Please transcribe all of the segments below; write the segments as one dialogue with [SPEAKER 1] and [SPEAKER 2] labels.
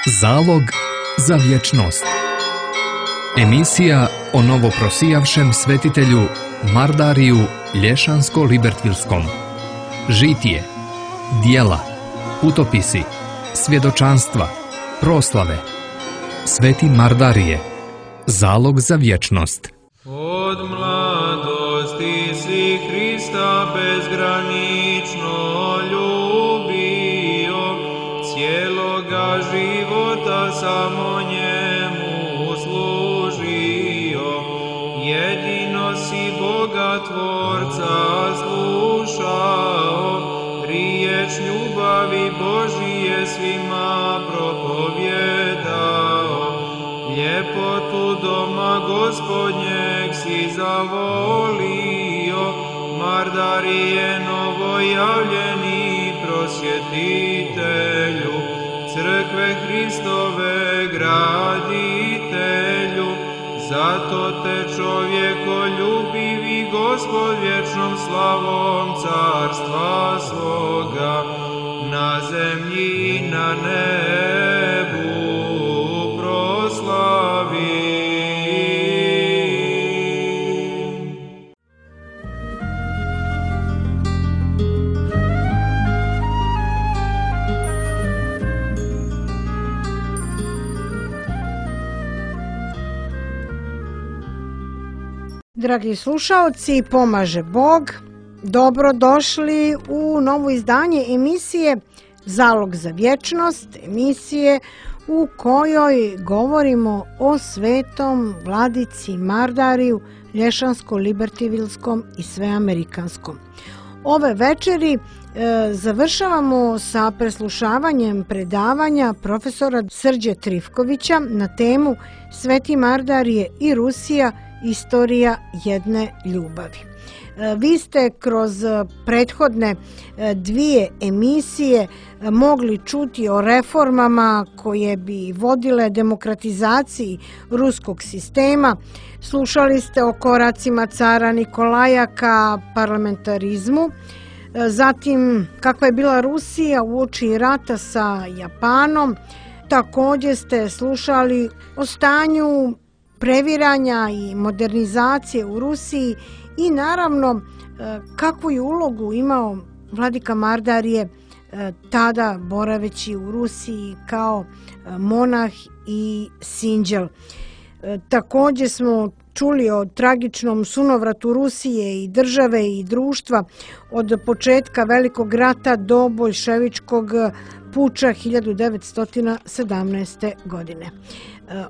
[SPEAKER 1] Zalog za vječnost. Emisija o novoprosijavšem svetitelju Mardariju Lješansko-Libertvilskom. Žitije, dijela, putopisi, svjedočanstva, proslave. Sveti Mardarije. Zalog za vječnost.
[SPEAKER 2] Od mladosti si Hrista bezgranično ljubio, cijeloga života samo njemu služio. Jedino si Boga Tvorca slušao, riječ ljubavi Božije svima propovjedao. Ljepotu doma Gospodnjeg si zavolio, Mardarije novojavljeni prosvjetitelju, crkve Hristove graditelju. Zato te čovjekoljubivi Gospod vječnom slavom carstva svoga na zemlji i na nebu proslavi.
[SPEAKER 3] Dragi slušaoci, pomaže Bog. Dobrodošli u novo izdanje emisije Zalog za vječnost, emisije u kojoj govorimo o svetom vladici Mardariju Lješansko-Libertvilskom i sveamerikanskom. Ove večeri završavamo sa preslušavanjem predavanja profesora Srđe Trifkovića na temu Sveti Mardarije i Rusija, istorija jedne ljubavi. Vi ste kroz prethodne dvije emisije mogli čuti o reformama koje bi vodile demokratizaciji ruskog sistema. Slušali ste o koracima cara Nikolaja ka parlamentarizmu. Zatim, kakva je bila Rusija uoči rata sa Japanom. Također ste slušali o stanju previranja i modernizacije u Rusiji i naravno kakvu je ulogu imao vladika Mardarije tada boraveći u Rusiji kao monah i sinđel. Također smo čuli o tragičnom sunovratu Rusije i države i društva od početka Velikog rata do boljševičkog puča 1917. godine.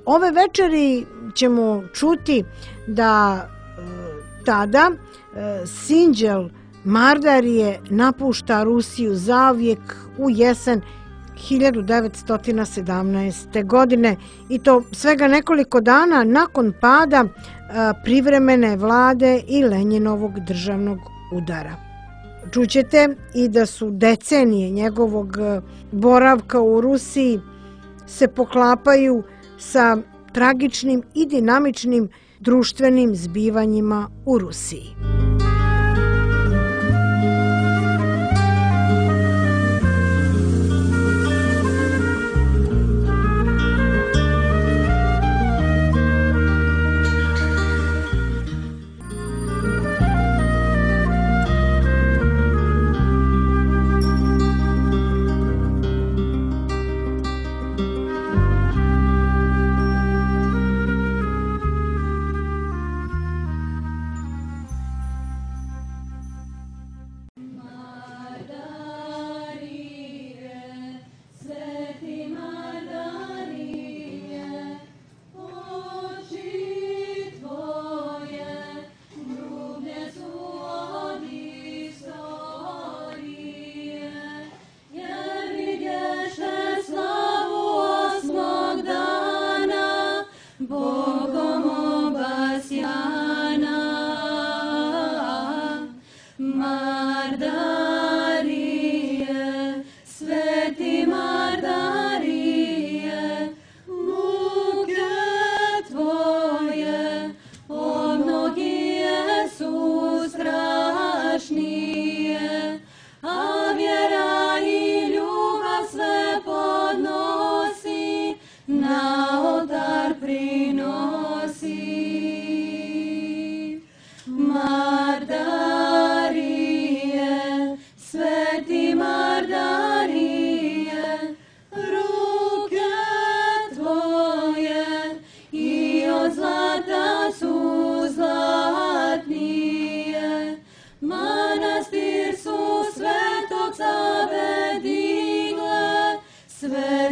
[SPEAKER 3] Ove večeri ćemo čuti da tada sinđel Mardarije napušta Rusiju zauvijek u jesen 1917. godine i to svega nekoliko dana nakon pada privremene vlade i Lenjinovog državnog udara. Čućete i da su decenije njegovog boravka u Rusiji se poklapaju sa tragičnim i dinamičnim društvenim zbivanjima u Rusiji.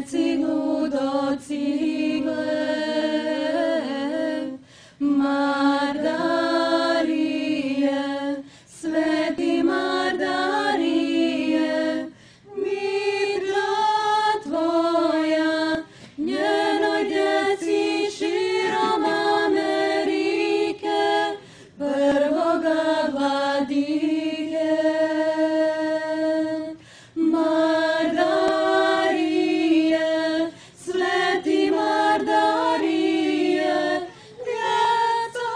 [SPEAKER 4] djeci ludocigle, Mardarije, sveti Mardarije, mitra tvoja, njenoj djeci širom Amerike, prvoga vladike. Mardarije, sveti Mardarije, djeca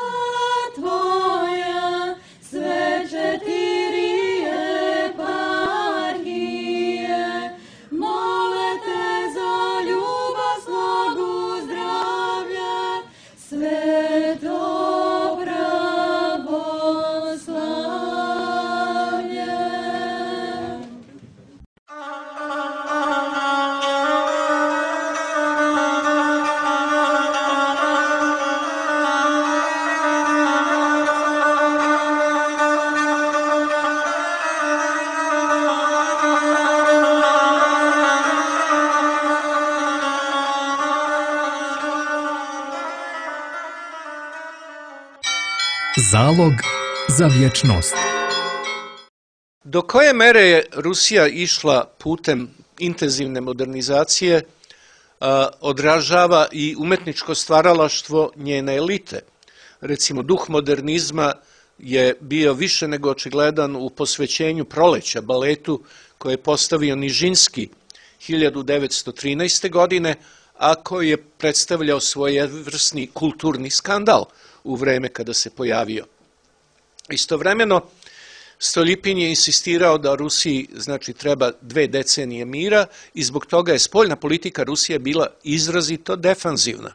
[SPEAKER 4] tvoja, sve 4 eparhije, mole te za ljubav, slogu, zdravlje, sveto pravoslavlje.
[SPEAKER 1] Zalog za vječnost.
[SPEAKER 5] Do koje mere je Rusija išla putem intenzivne modernizacije odražava i umetničko stvaralaštvo njene elite. Recimo, duh modernizma je bio više nego očigledan u posvećenju Proleća baletu koje je postavio Nižinski 1913. godine, a koji je predstavljao svojevrsni kulturni skandal u vreme kada se pojavio. Istovremeno, Stoljipin je insistirao da Rusiji treba 2 decenije mira i zbog toga je spoljna politika Rusije bila izrazito defanzivna,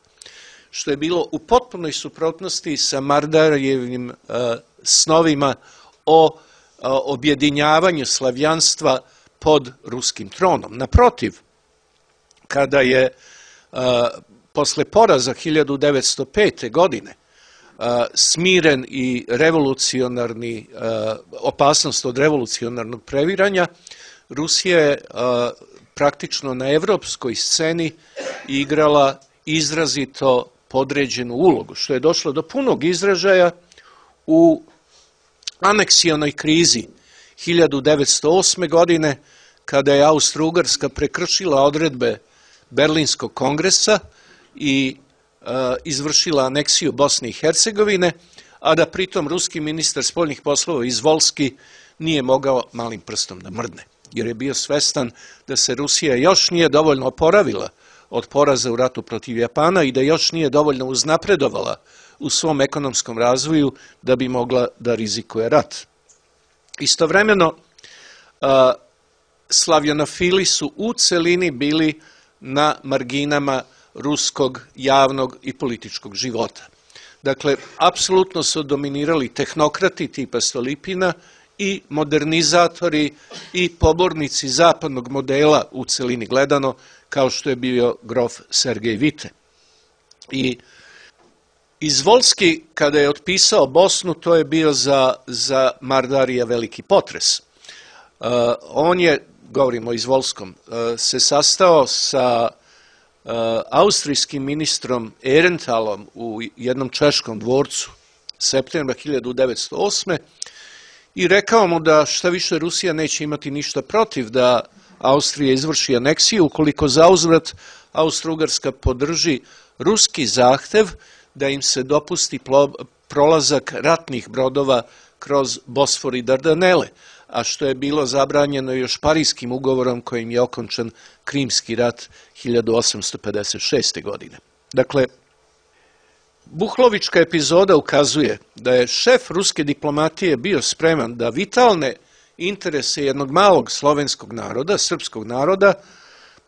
[SPEAKER 5] što je bilo u potpunoj suprotnosti sa Mardarijevim snovima o objedinjavanju slavjanstva pod ruskim tronom. Naprotiv, kada je posle poraza 1905. godine smiren i revolucionarni, opasnost od revolucionarnog previranja, Rusija je praktično na evropskoj sceni igrala izrazito podređenu ulogu, što je došlo do punog izražaja u aneksionoj krizi 1908. godine, kada je Austro-Ugarska prekršila odredbe Berlinskog kongresa i izvršila aneksiju Bosne i Hercegovine, a da pritom ruski ministar spoljnih poslova Izvolski nije mogao malim prstom da mrdne, jer je bio svestan da se Rusija još nije dovoljno oporavila od poraza u ratu protiv Japana i da još nije dovoljno uznapredovala u svom ekonomskom razvoju da bi mogla da rizikuje rat. Istovremeno, slavjanofili su u celini bili na marginama ruskog javnog i političkog života. Dakle, apsolutno su dominirali tehnokrati tipa Stoljipina i modernizatori i pobornici zapadnog modela u celini gledano, kao što je bio grof Sergej Vite. I Izvolski, kada je otpisao Bosnu, to je bio za Mardarija veliki potres. On je, govorimo o Izvolskom, se sastao sa austrijskim ministrom Ehrentalom u jednom češkom dvorcu septembra 1908. i rekao mu da šta više Rusija neće imati ništa protiv da Austrija izvrši aneksiju ukoliko zauzvrat Austro-Ugarska podrži ruski zahtev da im se dopusti prolazak ratnih brodova kroz Bosfor i Dardanele, a što je bilo zabranjeno još Parijskim ugovorom kojim je okončan Krimski rat 1856. godine. Dakle, Buhlovička epizoda ukazuje da je šef ruske diplomatije bio spreman da vitalne interese jednog malog slovenskog naroda, srpskog naroda,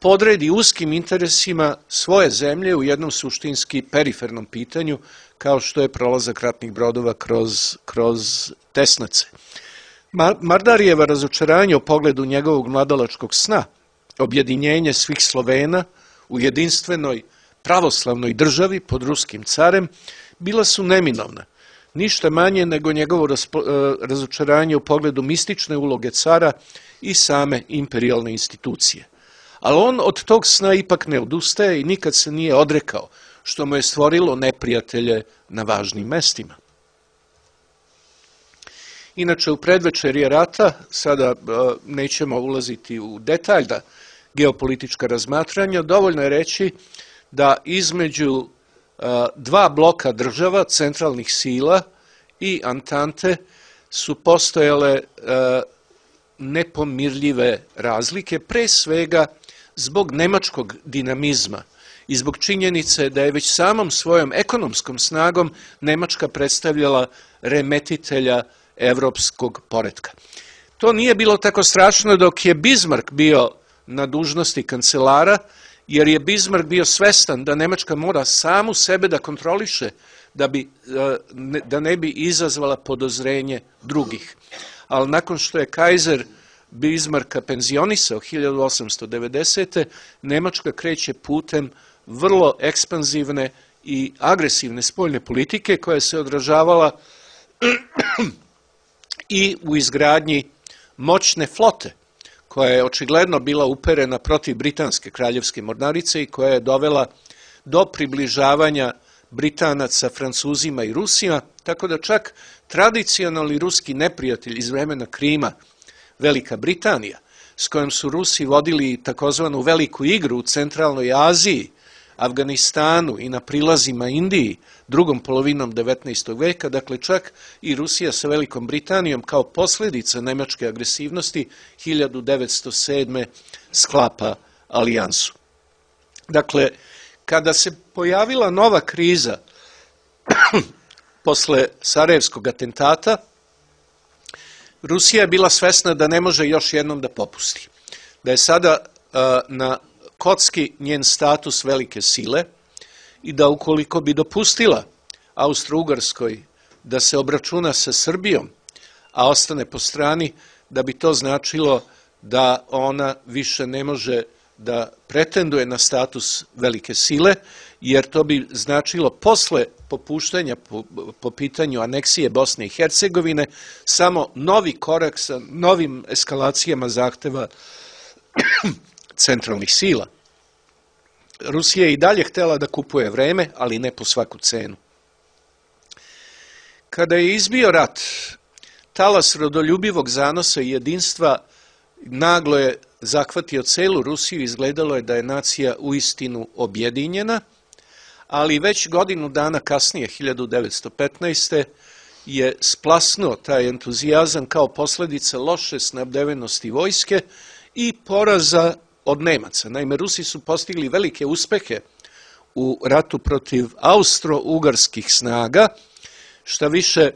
[SPEAKER 5] podredi uskim interesima svoje zemlje u jednom suštinski perifernom pitanju, kao što je prolazak ratnih brodova kroz Tesnace. Mardarijeva razočaranje u pogledu njegovog mladalačkog sna, objedinjenje svih Slovena u jedinstvenoj pravoslavnoj državi pod ruskim carem, bila su neminovna. Ništa manje nego njegovo razočaranje u pogledu mistične uloge cara i same imperijalne institucije. Ali on od tog sna ipak ne odustaje i nikad se nije odrekao, što mu je stvorilo neprijatelje na važnim mestima. Inače, u predvečerje rata, sada nećemo ulaziti u detaljna geopolitička razmatranja, dovoljno je reći da između dva bloka država, centralnih sila i Antante su postojale nepomirljive razlike, pre svega zbog nemačkog dinamizma i zbog činjenice da je već samom svojom ekonomskom snagom Nemačka predstavljala remetitelja evropskog poretka. To nije bilo tako strašno dok je Bismarck bio na dužnosti kancelara, jer je Bismarck bio svestan da Nemačka mora samu sebe da kontroliše da ne bi izazvala podozrenje drugih. Ali nakon što je kajzer Bismarcka penzionisao 1890. Nemačka kreće putem vrlo ekspanzivne i agresivne spoljne politike koja se odražavala i u izgradnji moćne flote, koja je očigledno bila uperena protiv britanske kraljevske mornarice i koja je dovela do približavanja Britanaca, Francuzima i Rusima, tako da čak tradicionalni ruski neprijatelj iz vremena Krima, Velika Britanija, s kojom su Rusi vodili takozvanu veliku igru u centralnoj Aziji, Afganistanu i na prilazima Indiji drugom polovinom 19. veka, dakle čak i Rusija sa Velikom Britanijom kao posljedica nemačke agresivnosti 1907. sklapa alijansu. Dakle, kada se pojavila nova kriza posle Sarajevskog atentata, Rusija je bila svesna da ne može još jednom da popusti. Da je sada na kocki njen status velike sile i da ukoliko bi dopustila Austro-Ugarskoj da se obračuna sa Srbijom, a ostane po strani, da bi to značilo da ona više ne može da pretenduje na status velike sile, jer to bi značilo posle popuštanja po pitanju aneksije Bosne i Hercegovine samo novi korak sa novim eskalacijama zahteva centralnih sila. Rusija je i dalje htela da kupuje vreme, ali ne po svaku cenu. Kada je izbio rat, talas rodoljubivog zanosa i jedinstva naglo je zahvatio celu Rusiju i izgledalo je da je nacija uistinu objedinjena, ali već godinu dana kasnije, 1915. je splasnuo taj entuzijazam kao posljedica loše snabdevenosti vojske i poraza od Nemaca. Naime, Rusi su postigli velike uspehe u ratu protiv austro-ugarskih snaga, šta više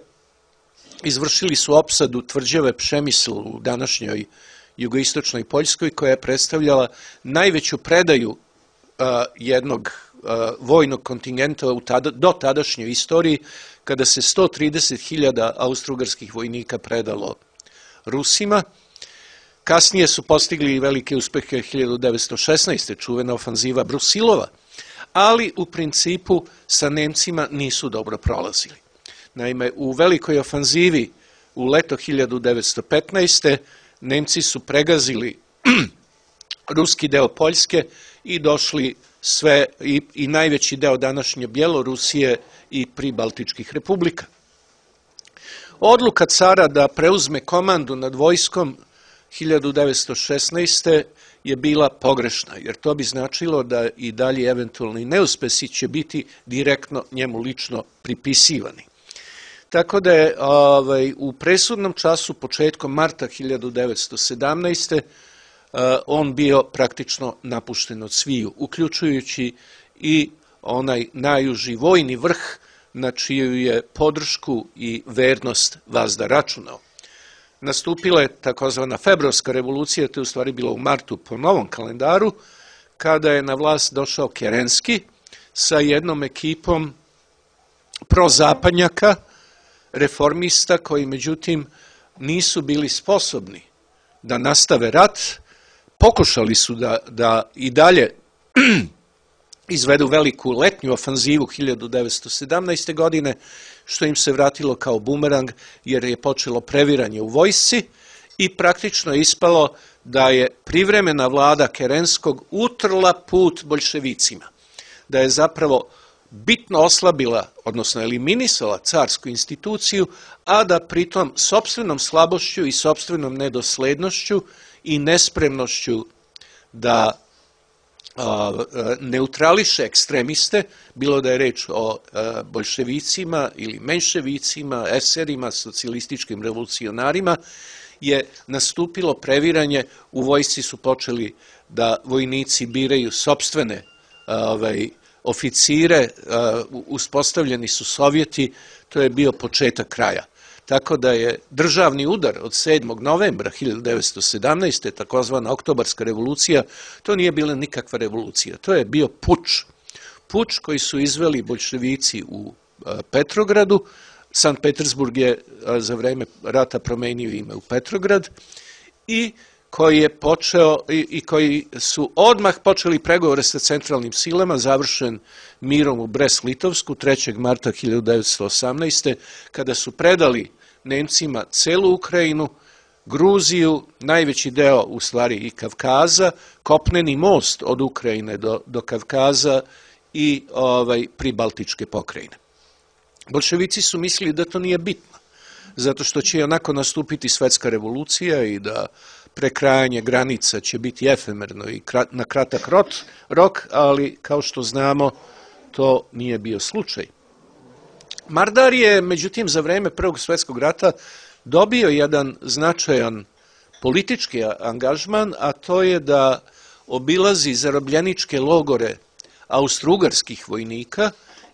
[SPEAKER 5] izvršili su opsadu tvrđave Pšemisl u današnjoj jugoistočnoj Poljskoj, koja je predstavljala najveću predaju jednog vojnog kontingenta do tadašnjoj istoriji, kada se 130.000 austro-ugarskih vojnika predalo Rusima. Kasnije su postigli velike uspehe 1916. čuvena ofanziva Brusilova, ali u principu sa Nemcima nisu dobro prolazili. Naime, u velikoj ofanzivi u leto 1915. Nemci su pregazili ruski deo Poljske i došli sve i najveći deo današnje Bjelorusije i pribaltičkih republika. Odluka cara da preuzme komandu nad vojskom 1916. je bila pogrešna, jer to bi značilo da i dalje eventualni neuspesi će biti direktno njemu lično pripisivani. Tako da je u presudnom času, početkom marta 1917. On bio praktično napušten od sviju, uključujući i onaj najuži vojni vrh na čiju je podršku i vernost vazda računao. Nastupila je takozvana februarska revolucija, to je u stvari bilo u martu po novom kalendaru, kada je na vlast došao Kerenski sa jednom ekipom prozapadnjaka, reformista koji međutim nisu bili sposobni da nastave rat. Pokušali su da i dalje izvedu veliku letnju ofanzivu 1917. godine, što im se vratilo kao bumerang, jer je počelo previranje u vojsci i praktično je ispalo da je privremena vlada Kerenskog utrla put boljševicima, da je zapravo bitno oslabila, odnosno eliminisala carsku instituciju, a da pritom sopstvenom slabošću i sopstvenom nedoslednošću i nespremnošću da neutrališe ekstremiste, bilo da je reč o boljševicima ili menševicima, eserima, socijalističkim revolucionarima, je nastupilo previranje. U vojsci su počeli da vojnici biraju sopstvene oficire, uspostavljeni su Sovjeti, to je bio početak kraja. Tako da je državni udar od 7. novembra 1917. takozvana Oktobarska revolucija, to nije bila nikakva revolucija, to je bio puč. Puč koji su izveli boljševici u Petrogradu. Sankt Petersburg je za vreme rata promenio ime u Petrograd i koji je počeo i koji su odmah počeli pregovore sa centralnim silama, završen mirom u Brest-Litovsku 3. marta 1918. kada su predali Nemcima celu Ukrajinu, Gruziju, najveći deo u stvari i Kavkaza, kopneni most od Ukrajine do Kavkaza i pribaltičke pokrajine. Bolševici su mislili da to nije bitno, zato što će onako nastupiti svetska revolucija i da prekrajanje granica će biti efemerno i na kratak rok, ali kao što znamo to nije bio slučaj. Mardar je, međutim, za vreme Prvog svjetskog rata dobio jedan značajan politički angažman, a to je da obilazi zarobljeničke logore austrougarskih vojnika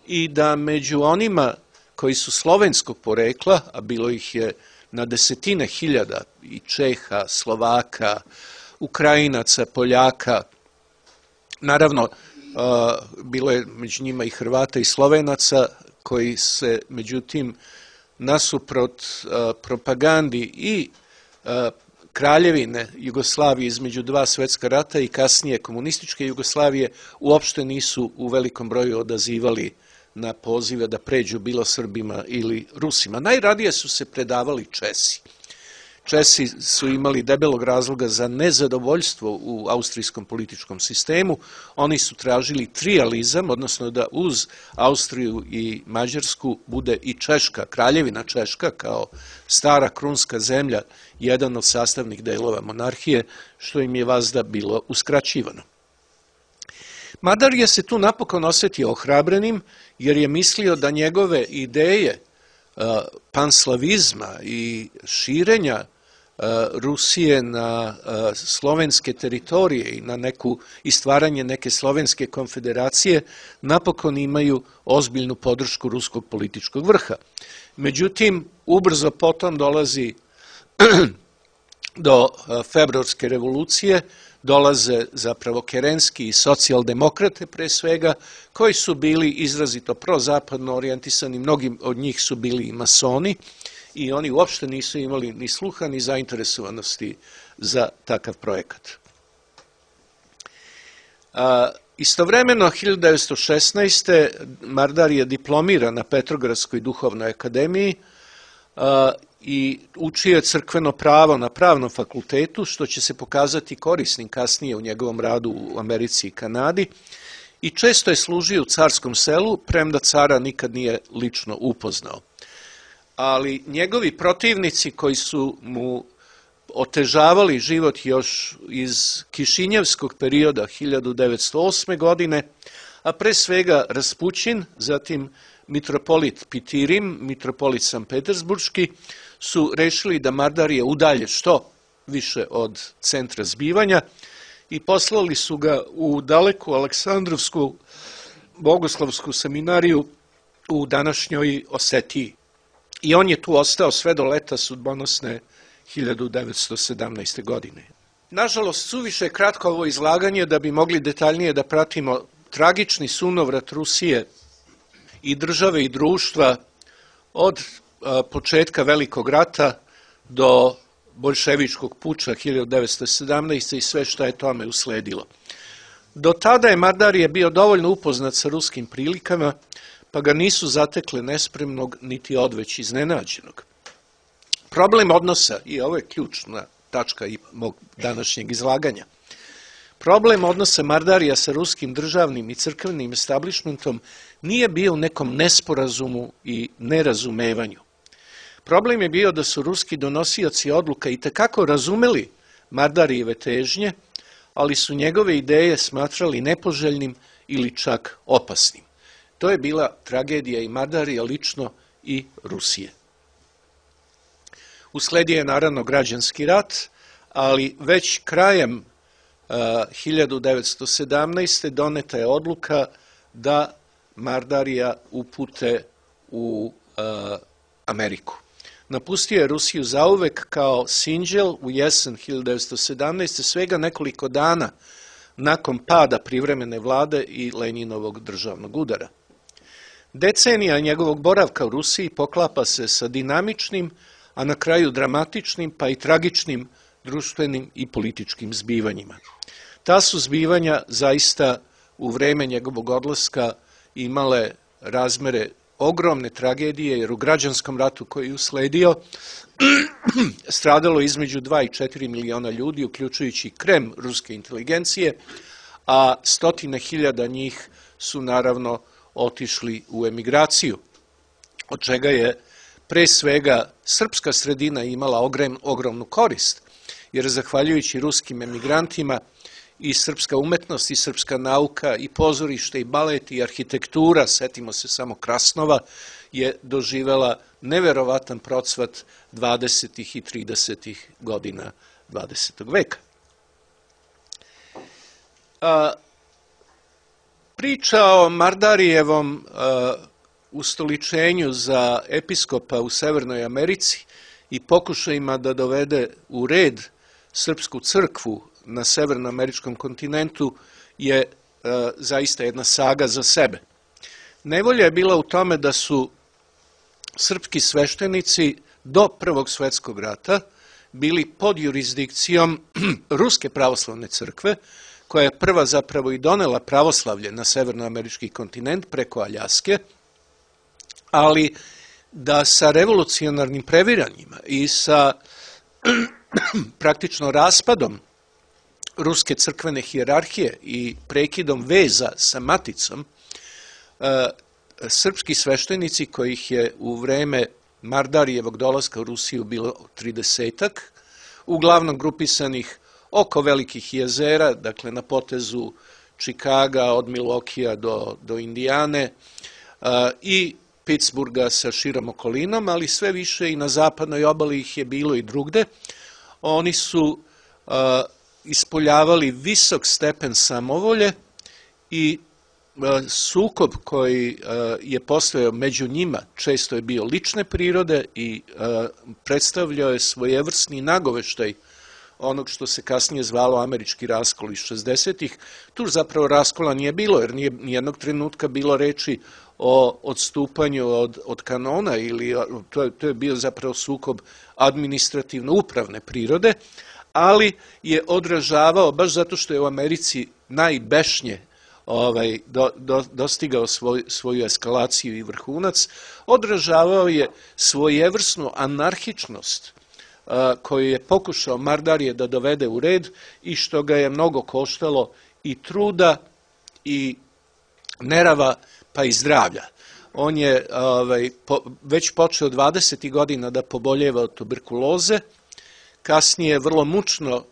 [SPEAKER 5] i da među onima koji su slovenskog porekla, a bilo ih je na desetine hiljada, i Čeha, Slovaka, Ukrajinaca, Poljaka, naravno bilo je među njima i Hrvata i Slovenaca, koji se, međutim, nasuprot propagandi i kraljevine Jugoslavije između dva svjetska rata i kasnije komunističke Jugoslavije uopšte nisu u velikom broju odazivali na pozive da pređu bilo Srbima ili Rusima. Najradije su se predavali Česi. Česi su imali debelog razloga za nezadovoljstvo u austrijskom političkom sistemu. Oni su tražili trijalizam, odnosno da uz Austriju i Mađarsku bude i Češka, kraljevina Češka kao stara krunska zemlja, jedan od sastavnih delova monarhije, što im je vazda bilo uskraćivano. Madar je se tu napokon osetio ohrabrenim, jer je mislio da njegove ideje panslavizma i širenja Rusije na slovenske teritorije i na i stvaranje neke slovenske konfederacije napokon imaju ozbiljnu podršku ruskog političkog vrha. Međutim, ubrzo potom dolazi do februarske revolucije, dolaze zapravo Kerenski i socijaldemokrate pre svega, koji su bili izrazito prozapadno orijentisani, mnogi od njih su bili i masoni i oni uopšte nisu imali ni sluha ni zainteresovanosti za takav projekat. Istovremeno, 1916. Mardar je diplomiran na Petrogradskoj duhovnoj akademiji i učio je crkveno pravo na pravnom fakultetu, što će se pokazati korisnim kasnije u njegovom radu u Americi i Kanadi, i često je služio u carskom selu, premda cara nikad nije lično upoznao. Ali njegovi protivnici koji su mu otežavali život još iz Kišinjevskog perioda 1908. godine, a pre svega Raspućin, zatim mitropolit Pitirim, mitropolit Sankt Petersburški, su rešili da Mardarije udalje što više od centra zbivanja i poslali su ga u daleku Aleksandrovsku bogoslovsku seminariju u današnjoj Osetiji. I on je tu ostao sve do leta sudbonosne 1917. godine. Nažalost, suviše je kratko ovo izlaganje da bi mogli detaljnije da pratimo tragični sunovrat Rusije i države i društva od početka Velikog rata do boljševičkog puča 1917. i sve što je tome usledilo. Do tada je Mardarije bio dovoljno upoznat sa ruskim prilikama, pa ga nisu zatekle nespremnog niti odveć iznenađenog. Problem odnosa, i ovo je ključna tačka i mog današnjeg izlaganja. Problem odnosa Mardarija sa ruskim državnim i crkvenim establishmentom nije bio u nekom nesporazumu i nerazumevanju. Problem je bio da su ruski donosioci odluka i tekako razumeli Mardarijeve težnje, ali su njegove ideje smatrali nepoželjnim ili čak opasnim. To je bila tragedija i Mardarija lično i Rusije. Usledio je naravno građanski rat, ali već krajem 1917. doneta je odluka da Mardarija upute u Ameriku. Napustio je Rusiju zauvek kao sinđel u jesen 1917. svega nekoliko dana nakon pada privremene vlade i Lenjinovog državnog udara. Decenija njegovog boravka u Rusiji poklapa se sa dinamičnim, a na kraju dramatičnim pa i tragičnim društvenim i političkim zbivanjima. Ta su zbivanja zaista u vreme njegovog odlaska imale razmere ogromne tragedije, jer u građanskom ratu koji je usledio stradalo između 2 i 4 miliona ljudi, uključujući krem ruske inteligencije, a stotine hiljada njih su naravno otišli u emigraciju, od čega je pre svega srpska sredina imala ogromnu korist, jer zahvaljujući ruskim emigrantima i srpska umetnost i srpska nauka i pozorište i balet i arhitektura, setimo se samo Krasnova, je doživela neverovatan procvat 20. i 30. godina 20. veka. Priča o Mardarijevom ustoličenju za episkopa u Severnoj Americi i pokušajima da dovede u red srpsku crkvu na severnoameričkom kontinentu je zaista jedna saga za sebe. Nevolja je bila u tome da su srpski sveštenici do Prvog svetskog rata bili pod jurisdikcijom Ruske pravoslavne crkve, koja je prva zapravo i donela pravoslavlje na severnoamerički kontinent preko Aljaske, ali da sa revolucionarnim previranjima i sa praktično raspadom ruske crkvene hijerarhije i prekidom veza sa maticom, srpski sveštenici, kojih je u vreme Mardarijevog dolaska u Rusiju bilo 30-ak, uglavnom grupisanih oko velikih jezera, dakle na potezu Čikaga od Milokija do Indijane i Pittsburgha sa širom okolinom, ali sve više i na zapadnoj obali ih je bilo i drugde. Oni su ispoljavali visok stepen samovolje i sukob koji je postojao među njima često je bio lične prirode i predstavljao je svojevrsni nagoveštaj onog što se kasnije zvalo američki raskol iz 60-ih. Tu zapravo raskola nije bilo, jer nije nijednog trenutka bilo reči o odstupanju od kanona, ili to je bio zapravo sukob administrativno-upravne prirode, ali je odražavao, baš zato što je u Americi najbešnje dostigao svoju eskalaciju i vrhunac, odražavao je svojevrsnu anarhičnost koju je pokušao Mardarije da dovede u red i što ga je mnogo koštalo i truda i nerava pa i zdravlja. On je već počeo 20. godina da poboljeva od tuberkuloze, kasnije vrlo mučno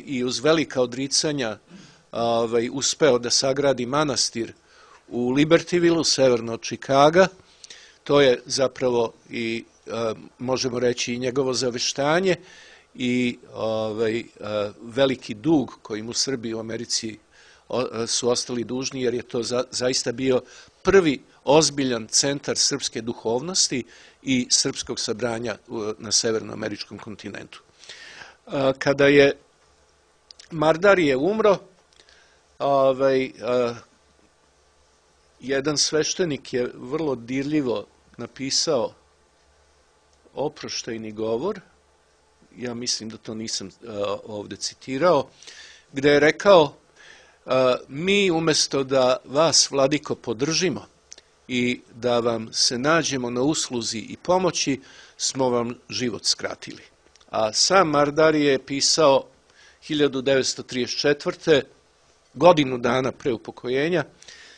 [SPEAKER 5] i uz velika odricanja uspeo da sagradi manastir u Libertyville, severno od Čikaga. To je zapravo i možemo reći i njegovo zaveštanje i veliki dug koji mu Srbi u Americi su ostali dužni, jer je to zaista bio prvi ozbiljan centar srpske duhovnosti i srpskog sabranja na severnoameričkom kontinentu. Kada je Mardarije umro, jedan sveštenik je vrlo dirljivo napisao oproštajni govor, ja mislim da to nisam ovde citirao, gde je rekao: mi umesto da vas, vladiko, podržimo i da vam se nađemo na usluzi i pomoći, smo vam život skratili. A sam Mardari je pisao 1934. godinu dana pre upokojenja.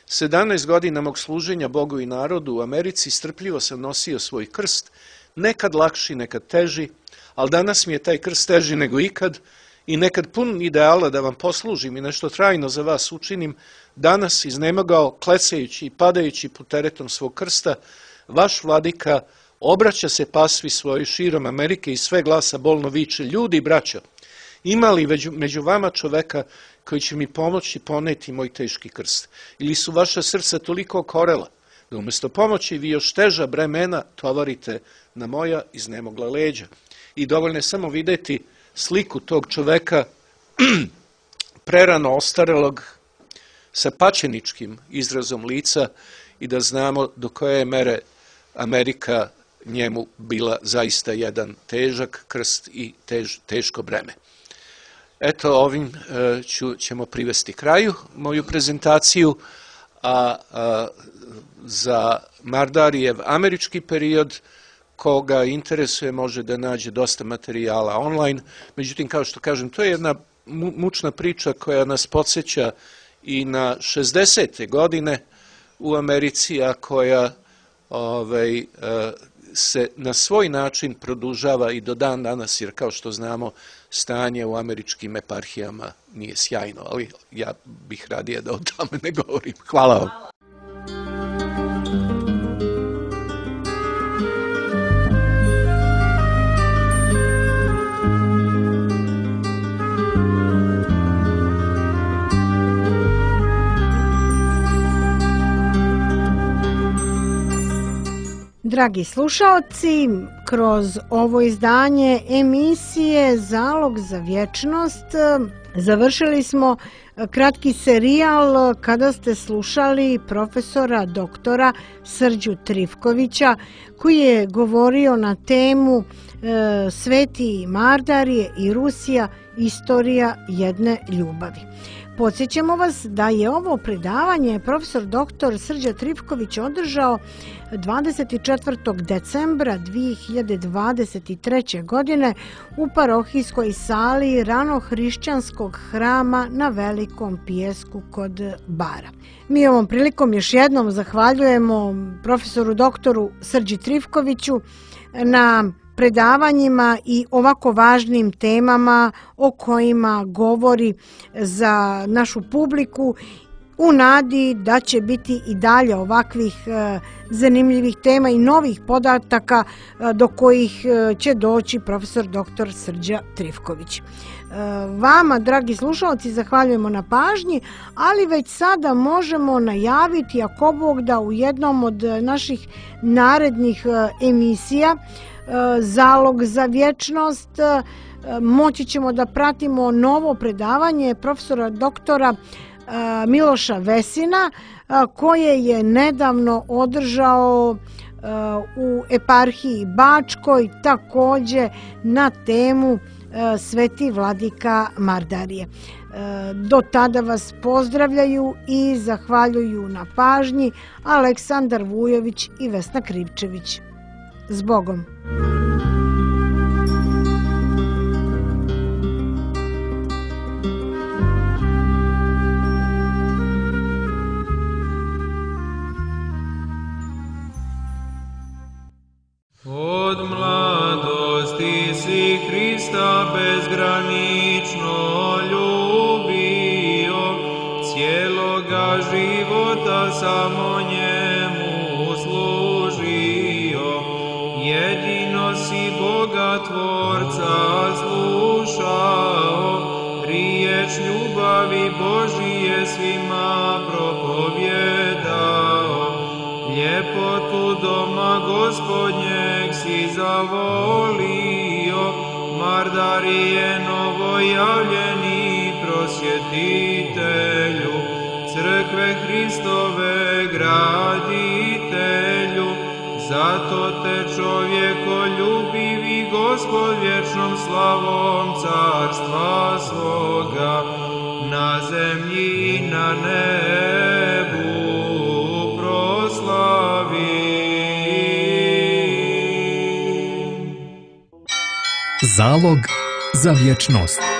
[SPEAKER 5] 17 godina mog služenja Bogu i narodu u Americi strpljivo sam nosio svoj krst, nekad lakši, nekad teži, ali danas mi je taj krst teži nego ikad i nekad pun ideala da vam poslužim i nešto trajno za vas učinim, danas iznemogao, klecajući i padajući pod teretom svog krsta, vaš vladika obraća se pasvi svojoj širom Amerike i sve glasa bolno viče: ljudi, braćo, ima li među vama čoveka koji će mi pomoći poneti moj teški krst? Ili su vaša srca toliko okorela da umjesto pomoći vi još teža bremena tovarite na moja iznemogla leđa? I dovoljno je samo vidjeti sliku tog čoveka prerano ostarelog sa pačeničkim izrazom lica i da znamo do koje je mere Amerika njemu bila zaista jedan težak krst i teško breme. Eto, ovim ćemo privesti kraju moju prezentaciju, a za Mardarijev američki period, koga interesuje, može da nađe dosta materijala online. Međutim, kao što kažem, to je jedna mučna priča koja nas podsjeća i na 60. godine u Americi, a koja se na svoj način produžava i do dan danas, jer kao što znamo, stanje u američkim eparhijama nije sjajno, ali ja bih radije da o tome ne govorim. Hvala vam.
[SPEAKER 3] Dragi slušaoci, kroz ovo izdanje emisije Zalog za vječnost završili smo kratki serijal kada ste slušali profesora doktora Srđu Trifkovića koji je govorio na temu Sveti Mardarije i Rusija, istorija jedne ljubavi. Podsjećamo vas da je ovo predavanje profesor dr. Srđa Trifković održao 24. decembra 2023. godine u parohijskoj sali ranohrišćanskog hrama na Velikom Pijesku kod Bara. Mi ovom prilikom još jednom zahvaljujemo profesoru doktoru Srđi Trifkoviću na predavanjima i ovako važnim temama o kojima govori za našu publiku, u nadi da će biti i dalje ovakvih zanimljivih tema i novih podataka do kojih će doći profesor dr. Srđa Trifković. Vama, dragi slušalci, zahvaljujemo na pažnji, ali već sada možemo najaviti, ako Bog da, u jednom od naših narednih emisija Zalog za vječnost moći ćemo da pratimo novo predavanje profesora doktora Miloša Vesina koje je nedavno održao u eparhiji Bačkoj, također na temu Sveti vladika Mardarije. Do tada vas pozdravljaju i zahvaljuju na pažnji Aleksandar Vujović i Vesna Krivčević. Zbogom!
[SPEAKER 2] Od mladosti si Hrista bezgranično ljubio, cijeloga života samo njemu služio. Jedino si Boga Tvorca slušao, riječ ljubavi Božije svima propovjedao. Ljepotu doma Gospodnjeg si zavolio, Mardarije novojavljeni prosvjetitelju, crkve Hristove graditelju. Zato te čovjekoljubivi Gospod vječnom slavom carstva svoga na zemlji i na nebu proslavi.
[SPEAKER 1] Zalog za vječnost.